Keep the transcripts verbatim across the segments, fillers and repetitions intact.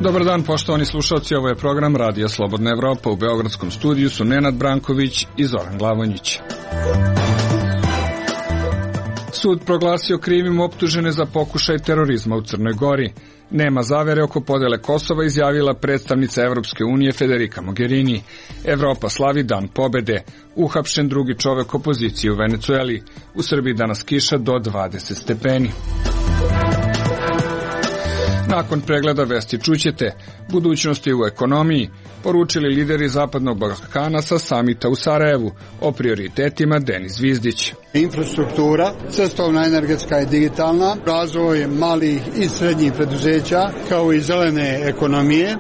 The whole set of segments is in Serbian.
Dobar dan, poštovani slušalci, ovo je program Radija Slobodna Evropa. U beogradskom studiju su Nenad Branković i Zoran Glavonjić. Sud proglasio krivim optužene za pokušaj terorizma u Crnoj Gori. Nema zavere oko podele Kosova, izjavila predstavnica Evropske unije Federica Mogherini. Evropa slavi dan pobede. Uhapšen drugi čovek opozicije u Venecueli. U Srbiji danas kiša do dvadeset stepeni. Nakon pregleda vesti čućete budućnosti u ekonomiji, poručili lideri Zapadnog Balkana sa samita u Sarajevu, o prioritetima Denis Zvizdić. Infrastruktura, cestovna, energetska i digitalna, razvoj malih i srednjih preduzeća, kao i zelene ekonomije.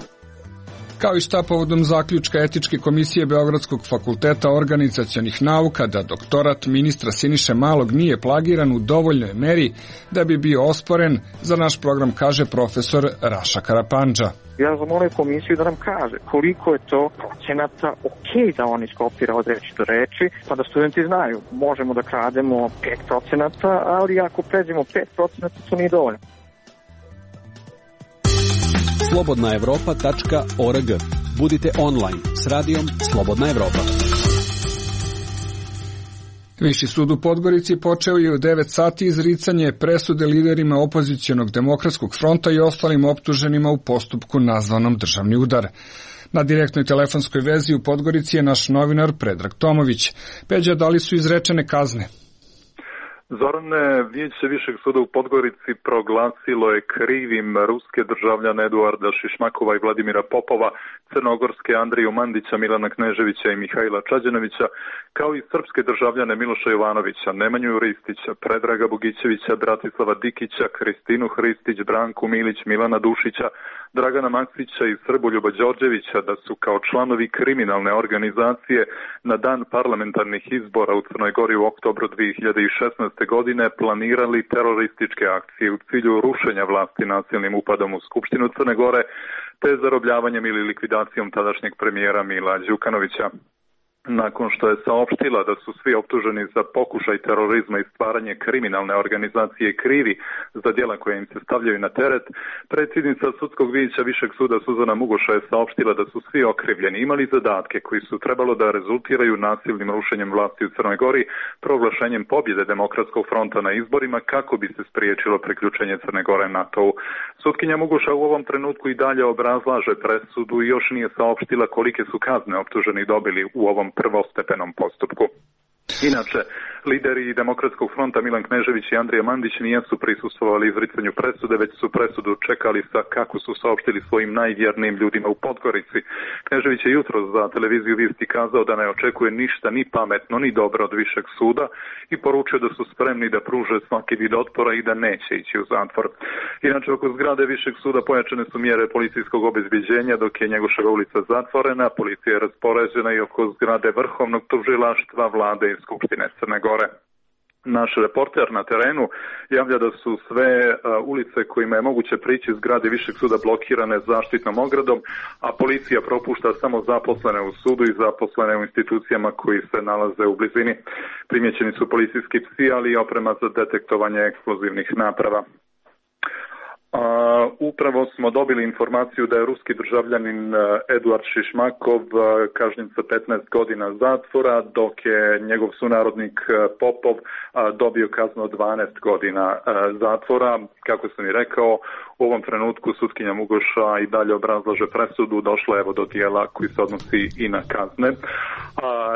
Kao i šta povodom zaključka Etičke komisije Beogradskog fakulteta organizacionih nauka da doktorat ministra Siniše Malog nije plagiran u dovoljnoj meri da bi bio osporen, za naš program kaže profesor Raša Karapandža. Ja zamolim komisiju da nam kaže koliko je to procenata ok da on iskopira od reči do reči, pa da studenti znaju, možemo da krademo pet procenata, ali ako pređemo pet procenata, to nije dovoljno. slobodna evropa tačka org. Budite online s radijom Slobodna Evropa. Viši sud u Podgorici počeo je u devet sati izricanje presude liderima opozicionog demokratskog fronta i ostalim optuženima u postupku nazvanom državni udar. Na direktnoj telefonskoj vezi u Podgorici je naš novinar Predrag Tomović. Peđa, da li su izrečene kazne? Zorane, Vijeće Višeg suda u Podgorici proglasilo je krivim ruske državljane Eduarda Šišmakova i Vladimira Popova, crnogorske Andriju Mandića, Milana Kneževića i Mihajla Čađanovića, kao i srpske državljane Miloša Jovanovića, Nemanju Ristića, Predraga Bogićevića, Bratislava Dikića, Kristinu Hristić, Branku Milić, Milana Dušića, Dragana Maksića i Srboljuba Đorđevića da su kao članovi kriminalne organizacije na dan parlamentarnih izbora u Crnoj Gori u oktobru dve hiljade šesnaeste. godine planirali terorističke akcije u cilju rušenja vlasti nasilnim upadom u Skupštinu Crne Gore te zarobljavanjem ili likvidacijom tadašnjeg premijera Mila Đukanovića. Nakon što je saopštila da su svi optuženi za pokušaj terorizma i stvaranje kriminalne organizacije krivi za djela koje im se stavljaju na teret, predsjednica sudskog vijeća Višeg suda Suzana Mugoša je saopštila da su svi okrivljeni imali zadatke koji su trebalo da rezultiraju nasilnim rušenjem vlasti u Crnoj Gori, proglašenjem pobjede Demokratskog fronta na izborima kako bi se spriječilo priključenje Crne Gore NATO-u. Sutkinja Mugoša u ovom trenutku i dalje obrazlaže presudu i još nije saopštila kolike su kazne optuženi dobili u ovom prvostepenom postupku. Inače, lideri Demokratskog fronta Milan Knežević i Andrija Mandić nijesu prisustvovali izricanju presude, već su presudu čekali sa, kako su saopštili, svojim najvjernijim ljudima u Podgorici. Knežević je jutro za televiziju Vijesti kazao da ne očekuje ništa ni pametno ni dobro od Višeg suda i poručio da su spremni da pruže svaki vid otpora i da neće ići u zatvor. Inače, oko zgrade Višeg suda pojačane su mjere policijskog obezbeđenja dok je Njegoševa ulica zatvorena, policija je raspoređena i oko zgrade Vrhovnog tužilaštva, Vlade i Skupštine Crne Gore. Naš reporter na terenu javlja da su sve uh, ulice kojima je moguće prići zgrade Višeg suda blokirane zaštitnom ogradom, a policija propušta samo zaposlene u sudu i zaposlene u institucijama koji se nalaze u blizini. Primjećeni su policijski psi, ali i oprema za detektovanje eksplozivnih naprava. Uh, upravo smo dobili informaciju da je ruski državljanin uh, Eduard Šišmakov uh, kažnjen sa petnaest godina zatvora, dok je njegov sunarodnik uh, Popov uh, dobio kaznu od dvanaest godina uh, zatvora. Kako sam i rekao, u ovom trenutku sutkinja Mugoša i dalje obrazlaže presudu, došla je evo do dijela koji se odnosi i na kazne. Uh,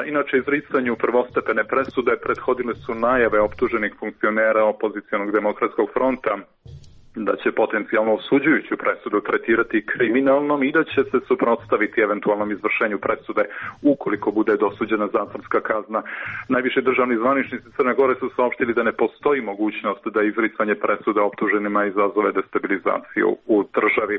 inače, izricanju prvostepene presude prethodile su najave optuženih funkcionera opozicionog demokratskog fronta da će potencijalno osuđujuću presudu tretirati kriminalnom i da će se suprotstaviti eventualnom izvršenju presude ukoliko bude dosuđena zatvorska kazna. Najviši državni zvaničnici Crne Gore su saopštili da ne postoji mogućnost da izricanje presude optuženima izazove destabilizaciju u državi.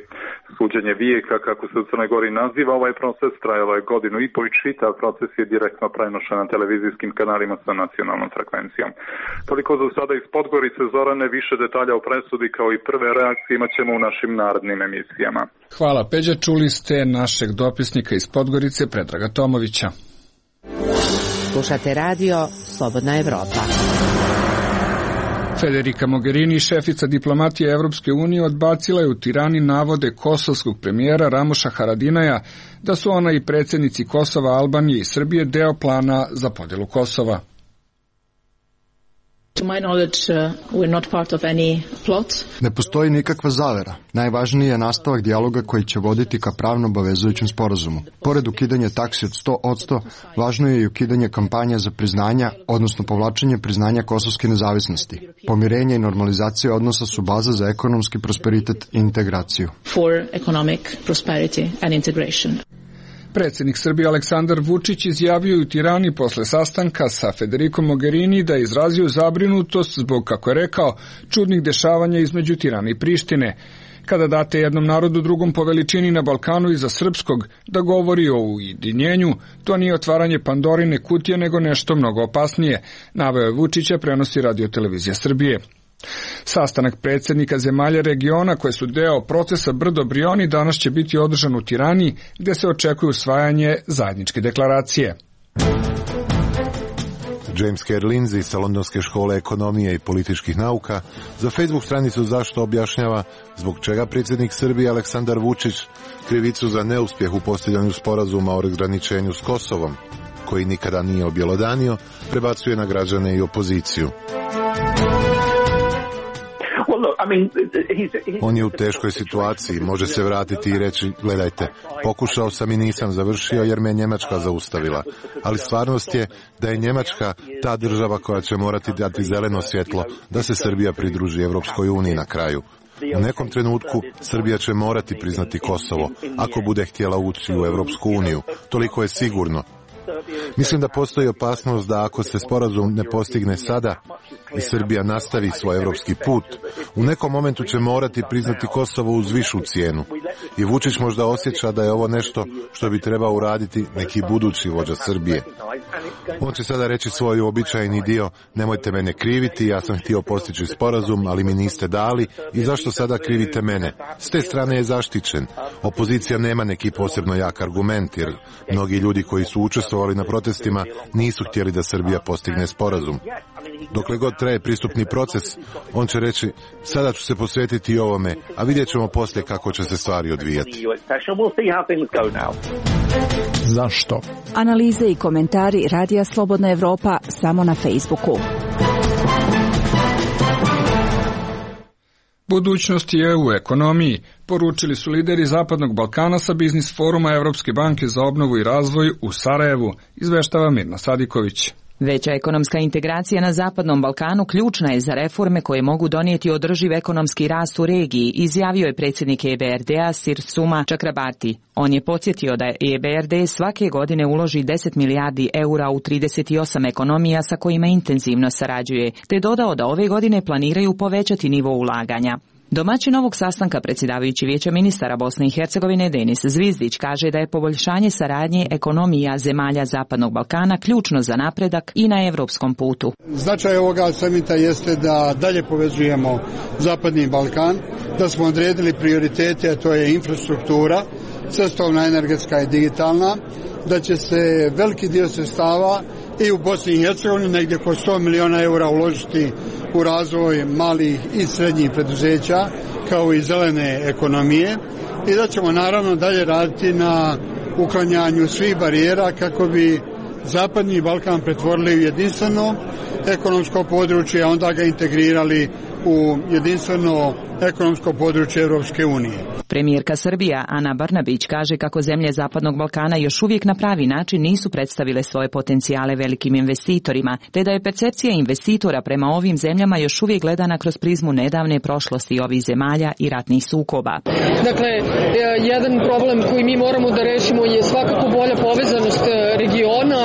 Suđenje vijeka, kako se u Crnoj Gori naziva ovaj proces, trajalo je godinu i po i čitav proces je direktno prenošen na televizijskim kanalima sa nacionalnom frekvencijom. Toliko za sada iz Podgorice. Zorane, više detalja o presudi kao i prve reakcije imat ćemo u našim narodnim emisijama. Hvala, Peđa. Čuli ste našeg dopisnika iz Podgorice, Predraga Tomovića. Slušate radio Slobodna Evropa. Federica Mogherini, šefica diplomatije Evropske unije, odbacila je u Tirani navode kosovskog premijera Ramoša Haradinaja da su ona i predsjednici Kosova, Albanije i Srbije deo plana za podjelu Kosova. To my knowledge, uh, we're not part of any plot. Ne postoji nikakva zavera. Najvažniji je nastavak dijaloga koji će voditi ka pravno obavezujućem sporazumu. Pored ukidanja taksi od sto posto, važno je i ukidanje kampanja za priznanja, odnosno povlačenje priznanja kosovske nezavisnosti. Pomirenje i normalizacija odnosa su baza za ekonomski prosperitet i integraciju. For economic prosperity and integration. Predsjednik Srbije Aleksandar Vučić izjavio u Tirani posle sastanka sa Federikom Mogherini da je izrazio zabrinutost zbog, kako je rekao, čudnih dešavanja između Tirane i Prištine. Kada date jednom narodu drugom po veličini na Balkanu iza srpskog da govori o ujedinjenju, to nije otvaranje Pandorine kutije nego nešto mnogo opasnije, naveo je Vučića, prenosi Radio Televizija Srbije. Sastanak predsjednika zemalja regiona koje su deo procesa Brdo Brioni danas će biti održan u Tirani, gdje se očekuje usvajanje zajedničke deklaracije. James Kerr Lindsay sa Londonske škole ekonomije i političkih nauka za Facebook stranicu Zašto objašnjava zbog čega predsjednik Srbije Aleksandar Vučić krivicu za neuspjeh u postizanju sporazuma o razgraničenju s Kosovom, koji nikada nije objelodanio, prebacuje na građane i opoziciju. On je u teškoj situaciji, može se vratiti i reći, gledajte, pokušao sam i nisam završio jer me Njemačka zaustavila. Ali stvarnost je da je Njemačka ta država koja će morati dati zeleno svjetlo da se Srbija pridruži Evropskoj uniji na kraju. U nekom trenutku Srbija će morati priznati Kosovo, ako bude htjela ući u Evropsku uniju. Toliko je sigurno. Mislim da postoji opasnost da ako se sporazum ne postigne sada i Srbija nastavi svoj evropski put, u nekom momentu će morati priznati Kosovo uz višu cijenu. I Vučić možda osjeća da je ovo nešto što bi trebao uraditi neki budući vođa Srbije. On će sada reći svoj običajni dio, nemojte mene kriviti, ja sam htio postići sporazum, ali mi niste dali i zašto sada krivite mene? S te strane je zaštićen. Opozicija nema neki posebno jak argument, jer mnogi ljudi koji su učestvovali na protestima nisu htjeli da Srbija postigne sporazum. Dokle god traje pristupni proces, on će reći, sada ću se posvetiti ovome, a vidjet ćemo poslije kako će se stvari odvijati. Zašto? Analize i komentari Radija Slobodna Evropa samo na Facebooku. Budućnost je u ekonomiji, poručili su lideri Zapadnog Balkana sa Biznis foruma Evropske banke za obnovu i razvoj u Sarajevu, izveštava Mirna Sadiković. Veća ekonomska integracija na Zapadnom Balkanu ključna je za reforme koje mogu donijeti održiv ekonomski rast u regiji, izjavio je predsjednik E B R D-a Sirsuma Čakrabarti. On je podsjetio da E B R D svake godine uloži deset milijardi eura u trideset osam ekonomija sa kojima intenzivno sarađuje, te dodao da ove godine planiraju povećati nivo ulaganja. Domaćin ovog sastanka, predsjedavajući Vijeća ministara Bosne i Hercegovine Denis Zvizdić, kaže da je poboljšanje saradnje ekonomija zemalja Zapadnog Balkana ključno za napredak i na evropskom putu. Značaj ovoga samita jeste da dalje povezujemo Zapadni Balkan, da smo odredili prioritete, a to je infrastruktura, cestovna, energetska i digitalna, da će se veliki dio sredstava i u Bosni i Hercegovini negdje oko sto miliona eura uložiti u razvoj malih i srednjih preduzeća kao i zelene ekonomije i da ćemo naravno dalje raditi na uklanjanju svih barijera kako bi Zapadni Balkan pretvorili u jedinstveno ekonomsko područje, a onda ga integrirali u jedinstveno ekonomsko područje Europske unije. Premijerka Srbija Ana Brnabić kaže kako zemlje Zapadnog Balkana još uvijek na pravi način nisu predstavile svoje potencijale velikim investitorima, te da je percepcija investitora prema ovim zemljama još uvijek gledana kroz prizmu nedavne prošlosti ovih zemalja i ratnih sukoba. Dakle, jedan problem koji mi moramo da rešimo je svakako bolja povezanost regiona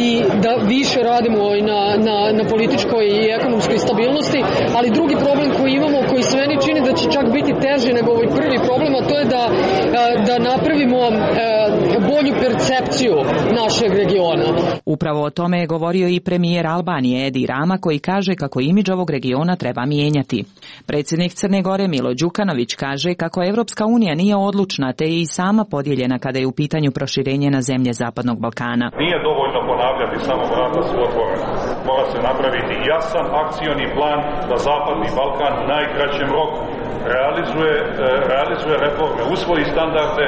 i da više radimo na, na, na političkoj i ekonomskoj stabilnosti, ali drugi problem koji imamo, koji se meni čini da će čak biti teži nego ovaj prvi problem, a to je da, da napravimo bolju percepciju našeg regiona. Upravo o tome je govorio i premijer Albanije Edi Rama, koji kaže kako imidž ovog regiona treba mijenjati. Predsjednik Crne Gore Milo Đukanović kaže kako Evropska unija nije odlučna, te je i sama podijeljena kada je u pitanju proširenje na zemlje Zapadnog Balkana. Nije dovoljno ponavljati, samo vrata su otvorena. Mora se napraviti jasan akcioni plan da Zapadni Balkan u najkraćem roku realizuje, realizuje reforme, usvoji standarde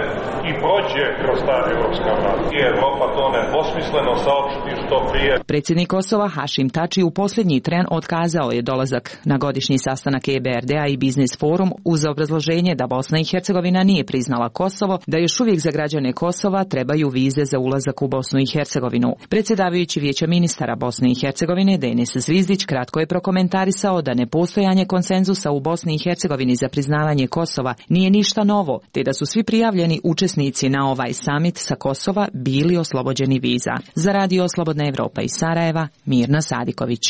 i prođe kroz ta evropska vrata. I Evropa to nedvosmisleno saopšti što prije. Predsjednik Kosova Hašim Tači u posljednji tren otkazao je dolazak na godišnji sastanak E B R D-a i Biznis forum uz obrazloženje da Bosna i Hercegovina nije priznala Kosovo, da još uvijek za građane Kosova trebaju vize za ulazak u Bosnu i Hercegovinu. Predsjedavajući Vijeća ministara Bosne i Hercegovine Denis Zvizdić kratko je prokomentarisao da nepostojanje konsenzusa u Bosni i Hercegovini za priznavanje Kosova nije ništa novo, te da su svi prijavljeni učesnici na ovaj samit sa Kosova bili oslobođeni viza. Za Radio Slobodna Evropa iz Sarajeva, Mirna Sadiković.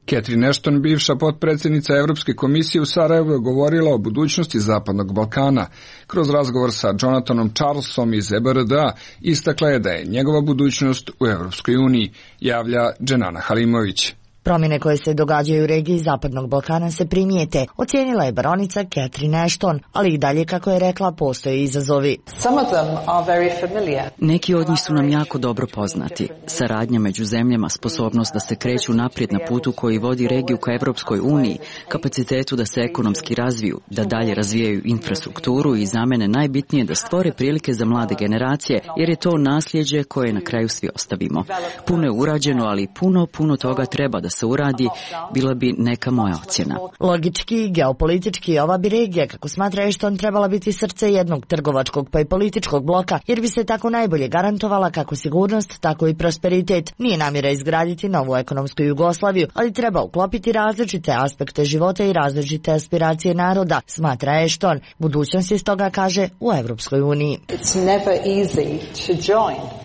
Catherine Ashton, bivša potpredsjednica Evropske komisije u Sarajevu, je govorila o budućnosti Zapadnog Balkana. Kroz razgovor sa Jonathanom Charlesom iz E B R D-a istakla je da je njegova budućnost u Evropskoj uniji, javlja Dženana Halimović. Promjene koje se događaju u regiji Zapadnog Balkana se primijete, ocijenila je baronica Catherine Ashton, ali i dalje, kako je rekla, postoje izazovi. Neki od njih su nam jako dobro poznati. Saradnja među zemljama, sposobnost da se kreću naprijed na putu koji vodi regiju ka Evropskoj uniji, kapacitetu da se ekonomski razviju, da dalje razvijaju infrastrukturu i za mene najbitnije da stvore prilike za mlade generacije, jer je to nasljeđe koje na kraju svi ostavimo. Puno je urađeno, ali puno, puno toga treba da se uradi, bila bi neka moja ocjena. Logički, geopolitički, ova bi regija, kako smatra Ashton, trebala biti srce jednog trgovačkog pa i političkog bloka, jer bi se tako najbolje garantovala kako sigurnost, tako i prosperitet. Nije namjera izgraditi novu ekonomsku Jugoslaviju, ali treba uklopiti različite aspekte života i različite aspiracije naroda, smatra Ashton. Budućnost je stoga, kaže, u Evropskoj uniji.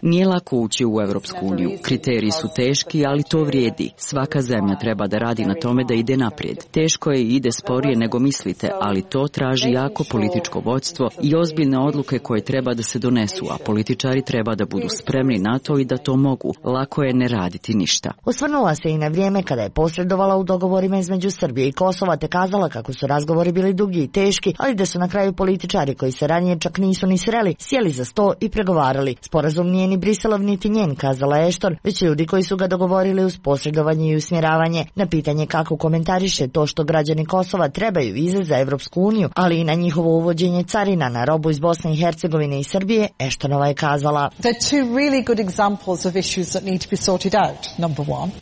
Nije lako ući u Evropsku uniju. Kriteriji su teški, ali to vrijedi. Svaka zemlja treba da radi na tome da ide naprijed. Teško je i ide sporije nego mislite, ali to traži jako političko vodstvo i ozbiljne odluke koje treba da se donesu, a političari treba da budu spremni na to i da to mogu. Lako je ne raditi ništa. Osvrnula se i na vrijeme kada je posredovala u dogovorima između Srbije i Kosova, te kazala kako su razgovori bili dugi i teški, ali da su na kraju političari koji se ranije čak nisu ni sreli, sjeli za sto i pregovarali. Sporazum nije ni Briselov niti njen, kazala Ashton, već ljudi koji su ga dogovorili uz posredovanje i usmjeravanje. Na pitanje kako komentariše to što građani Kosova trebaju vize za Evropsku uniju, ali i na njihovo uvođenje carina na robu iz Bosne i Hercegovine i Srbije, Ashtonova je kazala: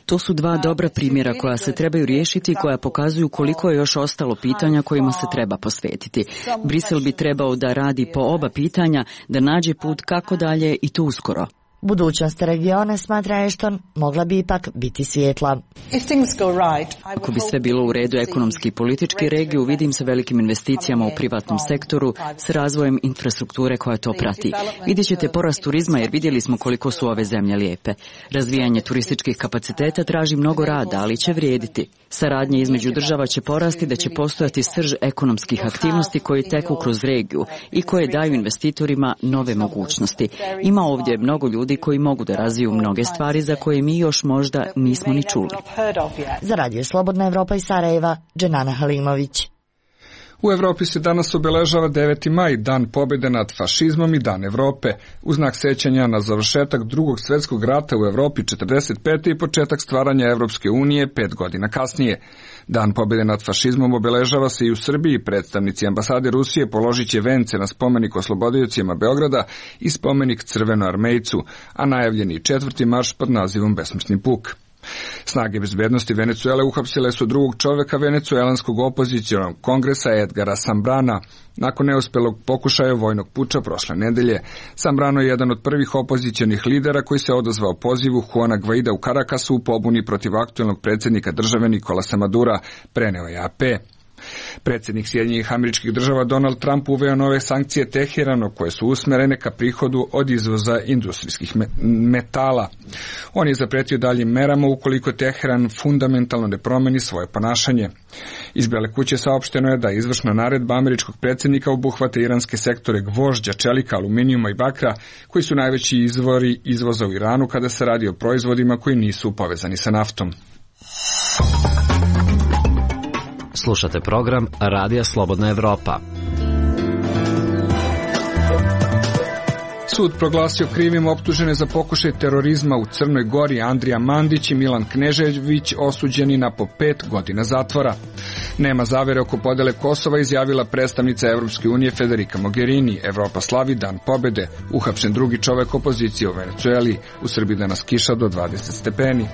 To su dva dobra primjera koja se trebaju riješiti i koja pokazuju koliko je još ostalo pitanja kojima se treba posvetiti. Brisel bi trebao da radi po oba pitanja, da nađe put kako dalje i to uskoro. Budućnost regiona, smatra Ashton, mogla bi ipak biti svijetla. Ako bi sve bilo u redu ekonomski i politički, regiju vidim sa velikim investicijama u privatnom sektoru, s razvojem infrastrukture koja to prati. Vidjet ćete porast turizma jer vidjeli smo koliko su ove zemlje lijepe. Razvijanje turističkih kapaciteta traži mnogo rada, ali će vrijediti. Saradnja između država će porasti da će postojati srž ekonomskih aktivnosti koji teku kroz regiju i koje daju investitorima nove mogućnosti. Ima ovdje mnogo ljudi koji mogu da razviju mnoge stvari za koje mi još možda nismo ni čuli. Za Radio Slobodna Evropa iz Sarajeva, Dženana Halimović. U Evropi se danas obeležava deveti maj, dan pobjede nad fašizmom i dan Evrope, u znak sećanja na završetak drugog svjetskog rata u Evropi četrdeset pete i početak stvaranja Evropske unije pet godina kasnije. Dan pobjede nad fašizmom obeležava se i u Srbiji. Predstavnici ambasade Rusije položit će vence na spomenik oslobodiocima Beograda i spomenik Crvenoarmejcu, a najavljeni četvrti marš pod nazivom Besmrtni puk. Snage bezbednosti Venecuele uhapsile su drugog čovjeka venecuelanskog opozicionog kongresa Edgara Sambrana nakon neuspelog pokušaja vojnog puča prošle nedelje. Sambrano je jedan od prvih opozicionih lidera koji se odazvao pozivu Juana Guaida u Karakasu u pobuni protiv aktuelnog predsjednika države Nikolasa Madura, preneo je A P. Predsjednik Sjedinjenih Američkih Država Donald Trump uveo nove sankcije Teheranu koje su usmjerene ka prihodu od izvoza industrijskih metala. On je zapretio daljim merama ukoliko Teheran fundamentalno ne promeni svoje ponašanje. Iz Bele kuće saopšteno je da izvršna naredba američkog predsjednika obuhvata iranske sektore gvožđa, čelika, aluminijuma i bakra, koji su najveći izvori izvoza u Iranu kada se radi o proizvodima koji nisu povezani sa naftom. Slušate program Radija Slobodna Evropa. Sud proglasio krivim optužene za pokušaj terorizma u Crnoj Gori Andrija Mandić i Milan Knežević osuđeni na po pet godina zatvora. Nema zavere oko podele Kosova, izjavila predstavnica Evropske unije Federica Mogherini. Evropa slavi dan pobede. Uhapšen drugi čovek opozicije u Venecueli. U Srbiji danas kiša do dvadeset stepeni.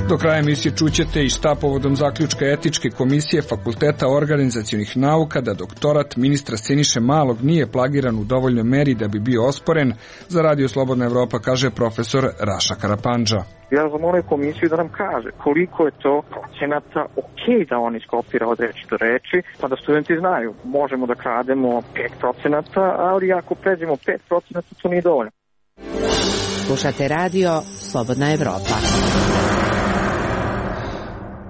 Do kraja emisije čućete i šta povodom zaključka etičke komisije Fakulteta organizacionih nauka da doktorat ministra Siniše Malog nije plagiran u dovoljnoj meri da bi bio osporen, za Radio Slobodna Evropa kaže profesor Raša Karapandža. Ja zamolio komisiju da nam kaže koliko je to procenata ok da on iskopira od reči do reči, pa da studenti znaju, možemo da krademo pet procenata, ali ako pređemo pet procenata, to nije dovoljno. Slušate Radio Slobodna Evropa.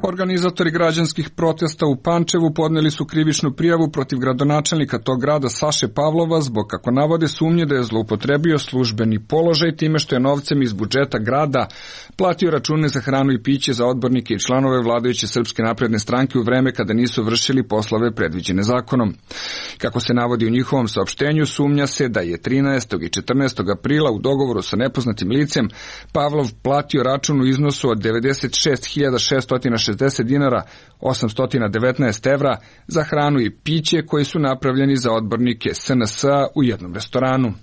Organizatori građanskih protesta u Pančevu podneli su krivičnu prijavu protiv gradonačelnika tog grada Saše Pavlova zbog, kako navode, sumnje da je zloupotrebio službeni položaj time što je novcem iz budžeta grada platio račune za hranu i piće za odbornike i članove vladajuće Srpske napredne stranke u vreme kada nisu vršili poslove predviđene zakonom. Kako se navodi u njihovom saopštenju, sumnja se da je trinaestog i četrnaestog aprila u dogovoru sa nepoznatim licem Pavlov platio račun u iznosu od devedeset šest hiljada šeststo šezdeset dinara, osamsto devetnaest evra za hranu i piće koji su napravljeni za odbornike S N S-a u jednom restoranu.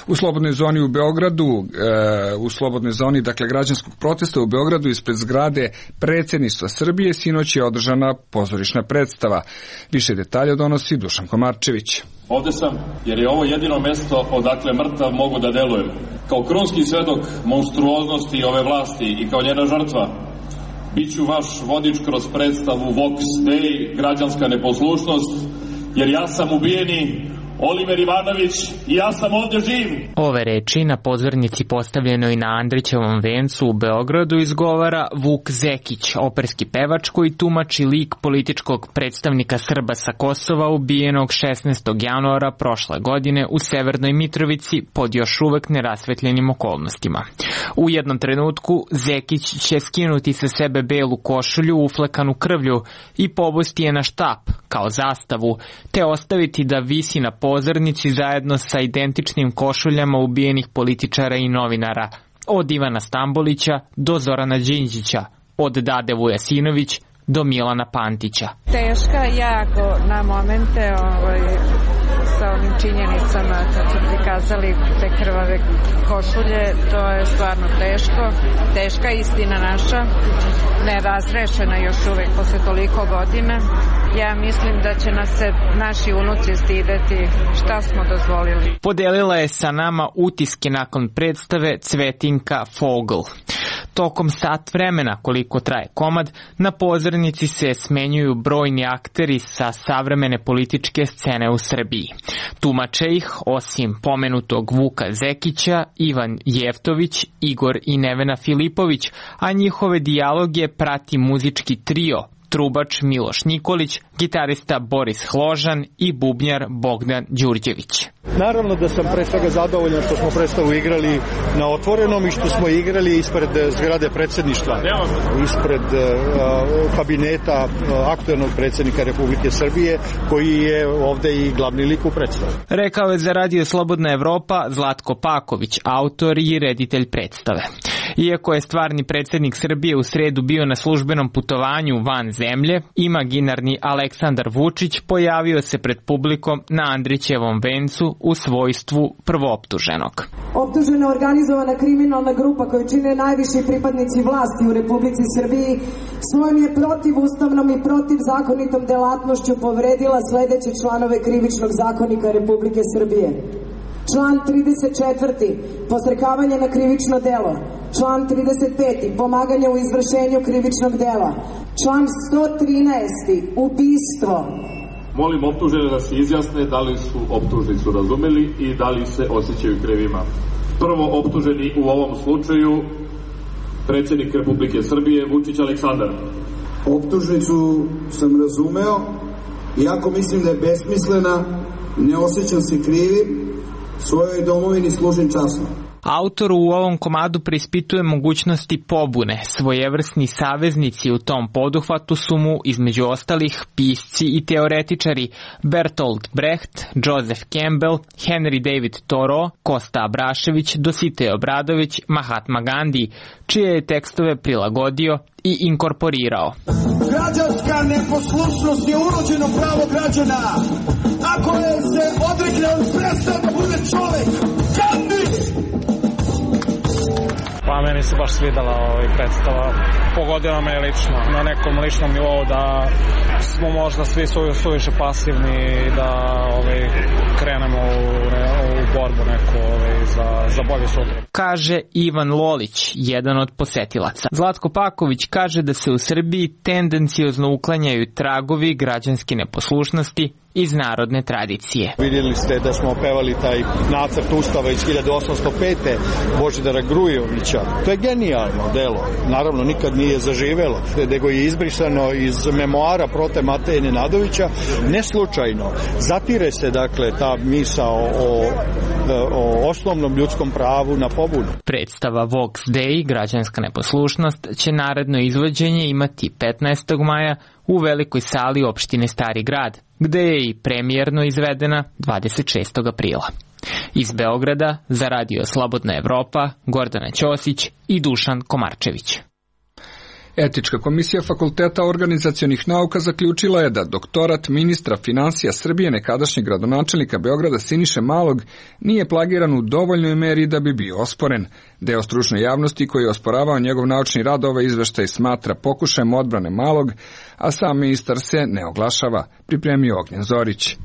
U slobodnoj zoni u Beogradu, e, u slobodnoj zoni, dakle, građanskog protesta u Beogradu ispred zgrade Predsjedništva Srbije sinoć je održana pozorišna predstava. Više detalja donosi Dušan Komarčević. Ovde sam jer je ovo jedino mesto odakle mrtav mogu da delujem. Kao krunski svedok monstruoznosti ove vlasti i kao njena žrtva, biću vaš vodič kroz predstavu Vox Dei, građanska neposlušnost, jer ja sam ubijeni Oliver Ivanović i ja sam ovdje živ. Ove reči na pozornici postavljenoj na Andrićevom vencu u Beogradu izgovara Vuk Zekić, operski pevač koji tumači lik političkog predstavnika Srba sa Kosova ubijenog šesnaestog januara prošle godine u Severnoj Mitrovici pod još uvek nerasvetljenim okolnostima. U jednom trenutku Zekić će skinuti sa sebe belu košulju uflekanu krvlju i pobosti je na štap kao zastavu, te ostaviti da visi na pozornici zajedno sa identičnim košuljama ubijenih političara i novinara, od Ivana Stambolića do Zorana Đinđića, od Dade Vujasinović do Milana Pantića. Teška jako na momente ovaj, sa ovim činjenicama kad su prikazali te krvave košulje, to je stvarno teško. Teška istina naša, nerazrešena još uvek posle toliko godina. Ja mislim da će nas se naši unuci stideti šta smo dozvolili. Podelila je sa nama utiske nakon predstave Cvetinka Fogl. Tokom sat vremena koliko traje komad, na pozornici se smenjuju brojni akteri sa savremene političke scene u Srbiji. Tumače ih, osim pomenutog Vuka Zekića, Ivan Jeftović, Igor i Nevena Filipović, a njihove dijaloge prati muzički trio, trubač Miloš Nikolić, gitarista Boris Hložan i bubnjar Bogdan Đurđević. Naravno da sam pre svega zadovoljan što smo predstavu igrali na otvorenom i što smo igrali ispred zgrade predsjedništva, ispred uh, kabineta uh, aktuelnog predsjednika Republike Srbije, koji je ovde i glavni lik u predstavu. Rekao je za Radio Slobodna Evropa Zlatko Paković, autor i reditelj predstave. Iako je stvarni predsjednik Srbije u sredu bio na službenom putovanju van zemlje, imaginarni Aleksandar Vučić pojavio se pred publikom na Andrićevom vencu u svojstvu prvooptuženog. Optužena organizovana kriminalna grupa koju čine najviši pripadnici vlasti u Republici Srbiji svojom je protivustavnom i protivzakonitom delatnošću povredila sledeće članove Krivičnog zakonika Republike Srbije. Član trideset četvrti. Posrekavanje na krivično delo. Član trideset peti. Pomaganje u izvršenju krivičnog dela. Član sto trinaesti. Ubistvo. Molim optužene da se izjasne da li su optužnicu razumeli i da li se osjećaju krivima. Prvo optuženi u ovom slučaju predsjednik Republike Srbije Vučić Aleksandar. Optužnicu sam razumeo, iako mislim da je besmislena, ne osjećam se krivim, svojoj domovini služim časno. Autor u ovom komadu preispituje mogućnosti pobune. Svojevrsni saveznici u tom poduhvatu su mu, između ostalih, pisci i teoretičari Bertolt Brecht, Joseph Campbell, Henry David Thoreau, Kosta Abrašević, Dositej Obradović, Mahatma Gandhi, čije je tekstove prilagodio i inkorporirao. Građanska neposlušnost je urođeno pravo građana. Ako je se odrekne, on prestao da bude čovek. Gandhi! Pa meni se baš svidala ovaj predstava. Pogodila me lično, na nekom ličnom nivou, da smo možda svi suviše pasivni i da ovaj, krenemo u, u borbu neku ovaj, za, za bolje sutra. Kaže Ivan Lolić, jedan od posetilaca. Zlatko Paković kaže da se u Srbiji tendenciozno uklanjaju tragovi građanske neposlušnosti iz narodne tradicije. Vidjeli ste da smo opevali taj nacrt ustava iz hiljadu osamsto pete. Božidara Grujovića. To je genijalno delo. Naravno, nikad nije zaživelo, nego je izbrisano iz memoara Prote Mateje Nenadovića. Ne slučajno. Zatire se, dakle, ta misao o, o osnovnom ljudskom pravu na pobunu. Predstava Vox Dei, građanska neposlušnost, će naredno izvođenje imati petnaestog maja u velikoj sali opštine Stari Grad, gde je i premijerno izvedena dvadeset šestog aprila. Iz Beograda za Radio Slobodna Evropa, Gordana Ćosić i Dušan Komarčević. Etička komisija Fakulteta organizacionih nauka zaključila je da doktorat ministra finansija Srbije, nekadašnjeg gradonačelnika Beograda Siniše Malog, nije plagiran u dovoljnoj meri da bi bio osporen. Deo stručne javnosti koji je osporavao njegov naučni rad ovaj izveštaj smatra pokušajem odbrane Malog, a sam ministar se ne oglašava, pripremio Ognjen Zorić.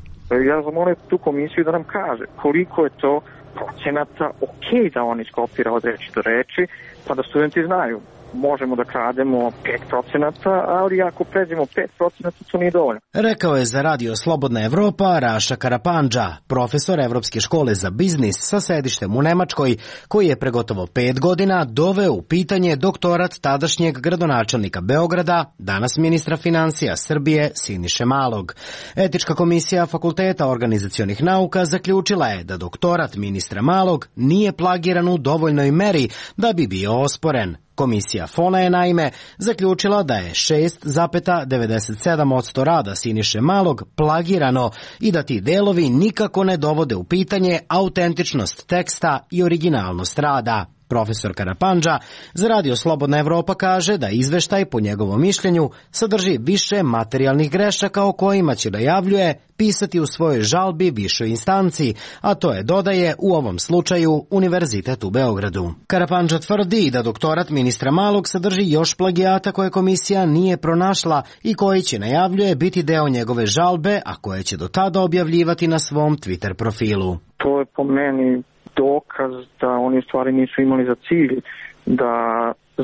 Ja zamolim tu komisiju da nam kaže koliko je to procenata ok da on iskopira od reči do reči, pa da studenti znaju. Možemo da krademo pet procenata, ali ako pređemo pet procenata, to nije dovoljno. Rekao je za Radio Slobodna Evropa Raša Karapandža, profesor Evropske škole za biznis sa sedištem u Nemačkoj, koji je pre gotovo pet godina doveo u pitanje doktorat tadašnjeg gradonačelnika Beograda, danas ministra finansija Srbije Siniše Malog. Etička komisija Fakulteta organizacionih nauka zaključila je da doktorat ministra Malog nije plagiran u dovoljnoj meri da bi bio osporen. Komisija Fona je naime zaključila da je šest zarez devedeset sedam posto rada Siniše Malog plagirano i da ti delovi nikako ne dovode u pitanje autentičnost teksta i originalnost rada. Profesor Karapandža za Radio Slobodna Evropa kaže da izveštaj po njegovom mišljenju sadrži više materijalnih grešaka o kojima će, najavljuje, pisati u svojoj žalbi višoj instanci, a to je, dodaje, u ovom slučaju Univerzitet u Beogradu. Karapandža tvrdi da doktorat ministra Malog sadrži još plagijata koje komisija nije pronašla i koji će, najavljuje, biti deo njegove žalbe, a koje će do tada objavljivati na svom Twitter profilu. To je po meni dokaz da oni u stvari nisu imali za cilj da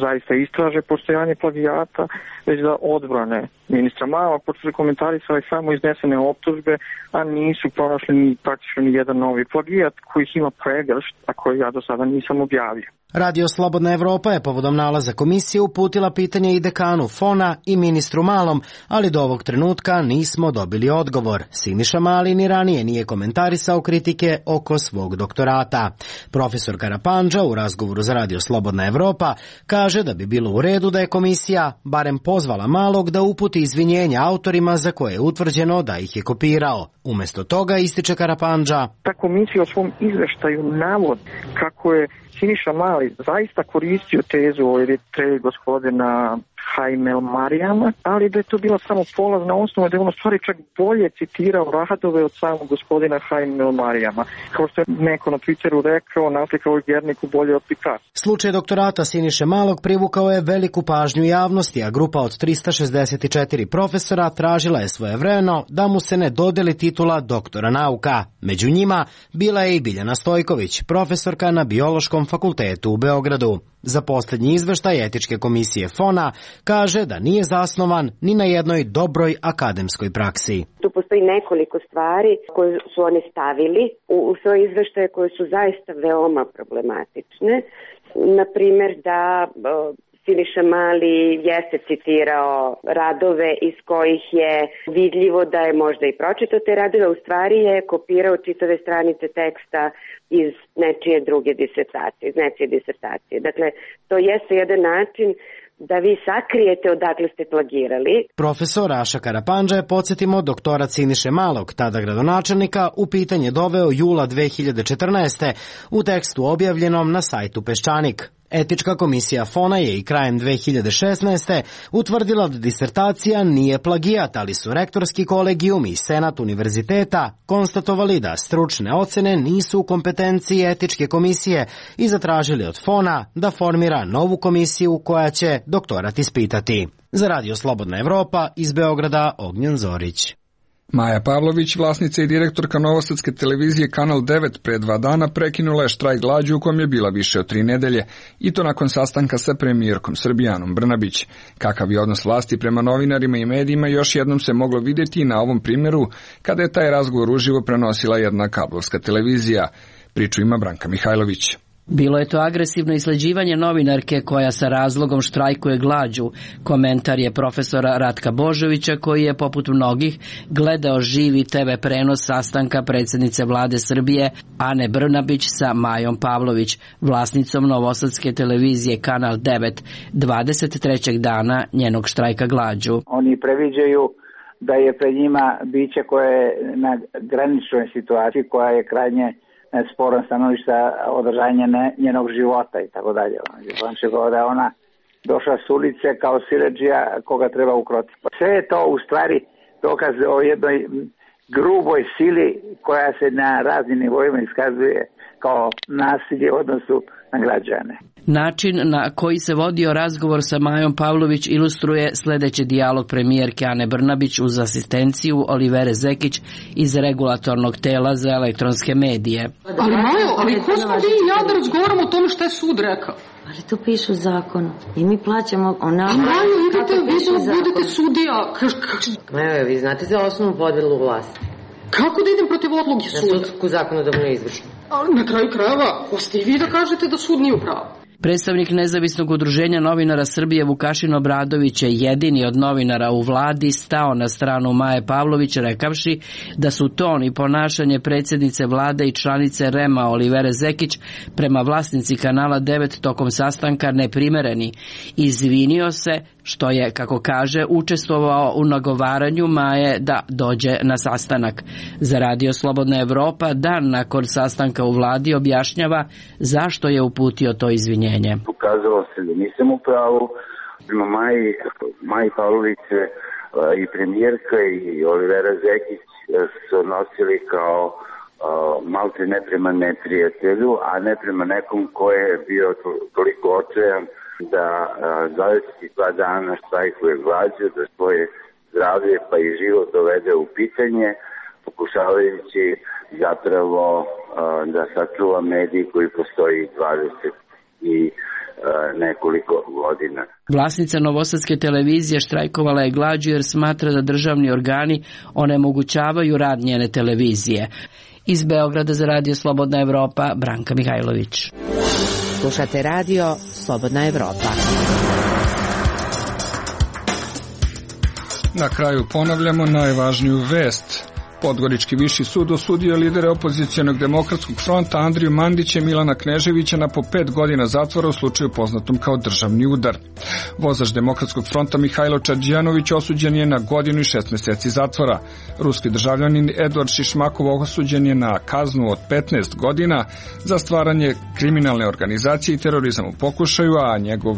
zaista istraže postojanje plagijata, već da odbrane ministra Malog, pošto su komentarisali samo iznesene optužbe, a nisu pronašli ni praktično ni jedan novi plagijat kojih ima pregršt, a koji ja do sada nisam objavio. Radio Slobodna Evropa je povodom nalaza komisije uputila pitanje i dekanu Fona i ministru Malom, ali do ovog trenutka nismo dobili odgovor. Siniša Mali ni ranije nije komentarisao kritike oko svog doktorata. Profesor Karapandža u razgovoru za Radio Slobodna Evropa kaže da bi bilo u redu da je komisija barem pozvala Malog da uputi izvinjenja autorima za koje je utvrđeno da ih je kopirao. Umesto toga, ističe Karapandža, ta komisija u svom izveštaju navodi kako je Siniša Mali zaista koristio tezu o Eritreji gospodina Haim El Marijama, ali da je to bila samo polazna osnova, da je on u stvari čak bolje citirao radove od samog gospodina Haim El Marijama. Kao što je neko na Twitteru rekao, naslikao je Gerniku bolje od Picasso. Slučaj doktorata Siniše Malog privukao je veliku pažnju javnosti, a grupa od trista šezdeset četiri profesora tražila je svojevremeno da mu se ne dodeli titula doktora nauka. Među njima bila je i Biljana Stojković, profesorka na Biološkom fakultetu u Beogradu. Za posljednji izveštaj Etičke komisije Fona kaže da nije zasnovan ni na jednoj dobroj akademskoj praksi. Tu postoji nekoliko stvari koje su oni stavili u, u svoje izveštaje koje su zaista veoma problematične. Na primjer da Siniša Mali jeste citirao radove iz kojih je vidljivo da je možda i pročitao te radove, u stvari je kopirao čitave stranice teksta iz nečije druge disertacije, iz nečije disertacije. Dakle, to jeste jedan način da vi sakrijete odakle ste plagirali. Profesor Raša Karapandža je, podsjetimo, doktorat Siniše Malog, tada gradonačelnika, u pitanje doveo jula dve hiljade četrnaeste. u tekstu objavljenom na sajtu Peščanik. Etička komisija Fona je i krajem dve hiljade šesnaeste. utvrdila da disertacija nije plagijat, ali su rektorski kolegijum i senat univerziteta konstatovali da stručne ocene nisu u kompetenciji etičke komisije i zatražili od Fona da formira novu komisiju koja će doktorat ispitati. Za Radio Slobodna Evropa iz Beograda, Ognjen Zorić. Maja Pavlović, vlasnica i direktorka novosadske televizije Kanal devet, pre dva dana prekinula je štrajk glađu u kojem je bila više od tri nedelje, i to nakon sastanka sa premijerkom Srbije Anom Brnabić. Kakav je odnos vlasti prema novinarima i medijima još jednom se moglo vidjeti i na ovom primjeru, kada je taj razgovor uživo prenosila jedna kablovska televizija. Priču ima Branka Mihajlović. Bilo je to agresivno isleđivanje novinarke koja sa razlogom štrajkuje glađu. Komentar je profesora Ratka Božovića, koji je poput mnogih gledao živi te ve prenos sastanka predsjednice vlade Srbije Ane Brnabić sa Majom Pavlović, vlasnicom novosadske televizije Kanal devet, dvadeset trećeg dana njenog štrajka glađu. Oni previđaju da je pred njima biće koje je na graničnoj situaciji, koja je krajnje sporan stanovišta održanja njenog života i tako dalje. On će govoriti da je ona došla s ulice kao siledžija koga treba ukrotiti. Sve je to u stvari dokaz o jednoj gruboj sili koja se na raznim nivoima iskazuje kao nasilje u odnosu na građane. Način na koji se vodio razgovor sa Majom Pavlović ilustruje sljedeći dijalog premijerke Ane Brnabić uz asistenciju Olivere Zekić iz regulatornog tela za elektronske medije. Ali Majo, ali ko smo vi i ja da razgovaramo o tome što je sud rekao? Ali to piše u zakonu i mi plaćamo onako. A Majo, idete, vi budete sudija. Majo, vi znate za osnovnu podelu vlasti. Kako da idem protiv odluke suda? Na sudsku zakonodavnu izvršnu. Na kraju krajeva, ko ste i vi da kažete da sud nije u pravu? Predstavnik Nezavisnog udruženja novinara Srbije Vukašin Obradović je jedini od novinara u vladi stao na stranu Maje Pavlović, rekavši da su ton i ponašanje predsjednice vlade i članice R E M-a Olivere Zekić prema vlasnici Kanala devet tokom sastanka neprimereni. Izvinio se što je, kako kaže, učestvovao u nagovaranju Maje da dođe na sastanak. Za Radio Slobodna Evropa dan nakon sastanka u vladi objašnjava zašto je uputio to izvinjenje. Pokazalo se da nisam u pravu. Prema Maji, Maji Pavlović i premijerka i Olivera Zekić su nosili kao malte ne prema neprijatelju, a ne prema nekom ko je bio toliko očajan da dvadeset dva dana štrajkuje glađu, da svoje zdravlje pa i život dovede u pitanje, pokušavajući zapravo da sačuva medij koji postoji dvadeset i nekoliko godina. Vlasnica novosadske televizije štrajkovala je glađu jer smatra da državni organi onemogućavaju rad njene televizije. Iz Beograda za Radio Slobodna Evropa, Branka Mihajlović. Slušate Radio Slobodna Evropa. Na kraju ponavljamo najvažniju vest. Podgorički viši sud osudio lidere opozicionog demokratskog fronta Andriju Mandića i Milana Kneževića na po pet godina zatvora u slučaju poznatom kao državni udar. Vozač demokratskog fronta Mihajlo Čadžijanović osuđen je na godinu i šest mjeseci zatvora. Ruski državljanin Eduard Šišmakov osuđen je na kaznu od petnaest godina za stvaranje kriminalne organizacije i terorizam u pokušaju, a njegov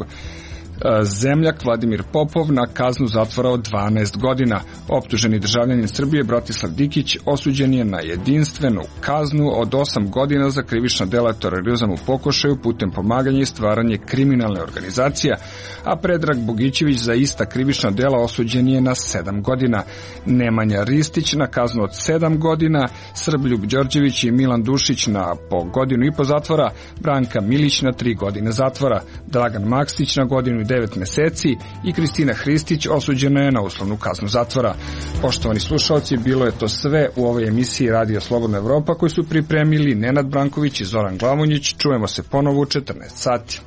zemljak Vladimir Popov na kaznu zatvora od dvanaest godina. Optuženi državljanin Srbije Bratislav Dikić osuđen je na jedinstvenu kaznu od osam godina za krivična dela terorizam u pokušaju putem pomaganja i stvaranje kriminalne organizacije, a Predrag Bogićević za ista krivična dela osuđen je na sedam godina. Nemanja Ristić na kaznu od sedam godina, Srbljub Đorđević i Milan Dušić na po godinu i po zatvora, Branka Milić na tri godine zatvora, Dragan Maksić na godinu i devet mjeseci i Kristina Hristić osuđena je na uslovnu kaznu zatvora. Poštovani slušalci, bilo je to sve u ovoj emisiji Radio Slobodna Evropa koju su pripremili Nenad Branković i Zoran Glavonjić. Čujemo se ponovo u četrnaest sati.